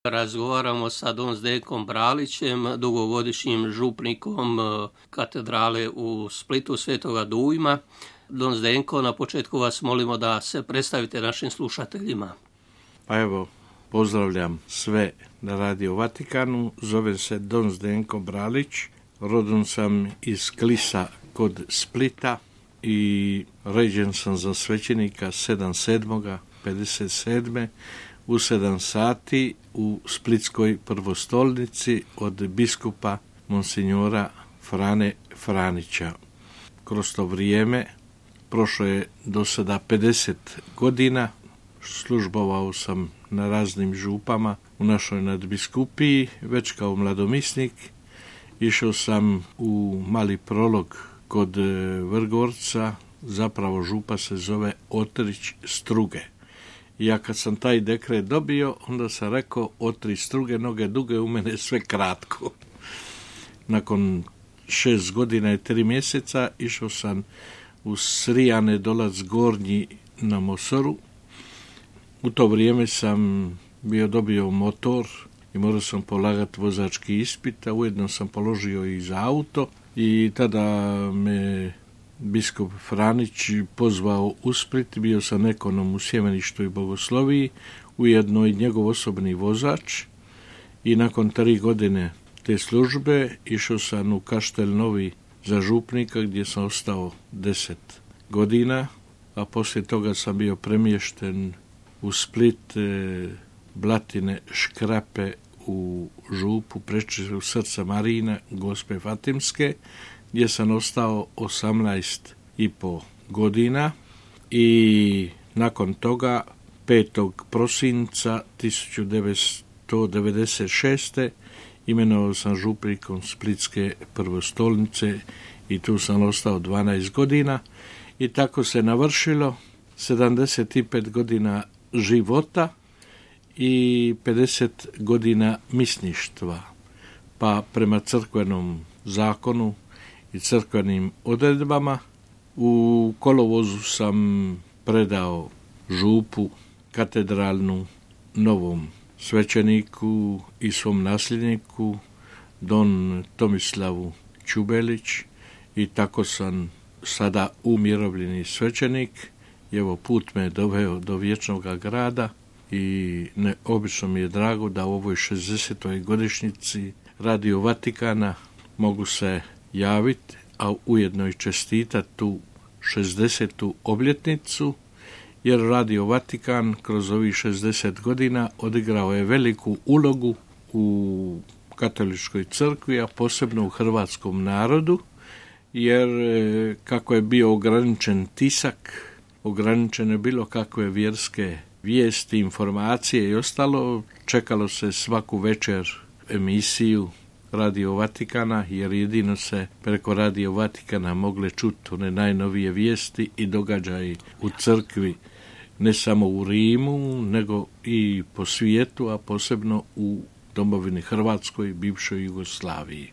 Razgovaramo sa don Zdenkom Bralićem, dugogodišnjim župnikom katedrale u Splitu Svetoga Dujma. Don Zdenko, na početku vas molimo da se predstavite našim slušateljima. Pa evo, pozdravljam sve na Radio Vatikanu. Zovem se don Zdenko Bralić. Rodom sam iz Klisa kod Splita i ređen sam za svećenika 7.7.57. u 7 sati u Splitskoj prvostolnici od biskupa monsignora Frane Franića. Kroz to vrijeme prošlo je do sada 50 godina. Službovao sam na raznim župama u našoj nadbiskupiji, već kao mladomisnik. Išao sam u Mali Prolog kod Vrgorca, zapravo župa se zove Otrić Struge. I ja kad sam taj dekret dobio, onda sam rekao, Otrić Struge, noge duge, u mene sve kratko. Nakon 6 godina i 3 mjeseca išao sam u Srijane Dolac Gornji na Mosoru. U to vrijeme sam dobio motor i morao sam polagati vozački ispit, a ujedno sam položio i za auto i tada me biskup Franić pozvao u Split. Bio sam ekonom u Sjemeništu i Bogosloviji, ujedno i njegov osobni vozač, i nakon 3 godine te službe išao sam u Kaštel Novi za župnika gdje sam ostao 10 godina, a poslije toga sam bio premješten u Split, Blatine, Škrape, u župu Prečistog srca Marina Gospe Fatimske, gdje sam ostao 18,5 godina i nakon toga 5. prosinca 1996. imenovao sam župnikom Splitske prvostolnice i tu sam ostao 12 godina i tako se navršilo 75 godina života i 50 godina misništva. Pa prema crkvenom zakonu i crkvenim odredbama u kolovozu sam predao župu katedralnu novom svećeniku i svom nasljedniku don Tomislavu Čubelić i tako sam sada umirovljeni svećenik. I evo, put me doveo do vječnog grada i neobično mi je drago da u ovoj 60. godišnjici Radio Vatikana mogu se javiti, a ujedno i čestitati tu 60. obljetnicu, jer Radio Vatikan kroz ovih 60 godina odigrao je veliku ulogu u katoličkoj crkvi, a posebno u hrvatskom narodu, jer kako je bio ograničen tisak, ograničene bilo kakve vjerske vijesti, informacije i ostalo, čekalo se svaku večer emisiju Radio Vatikana, jer jedino se preko Radio Vatikana mogle čuti one najnovije vijesti i događaji u crkvi, ne samo u Rimu, nego i po svijetu, a posebno u domovini Hrvatskoj, bivšoj Jugoslaviji.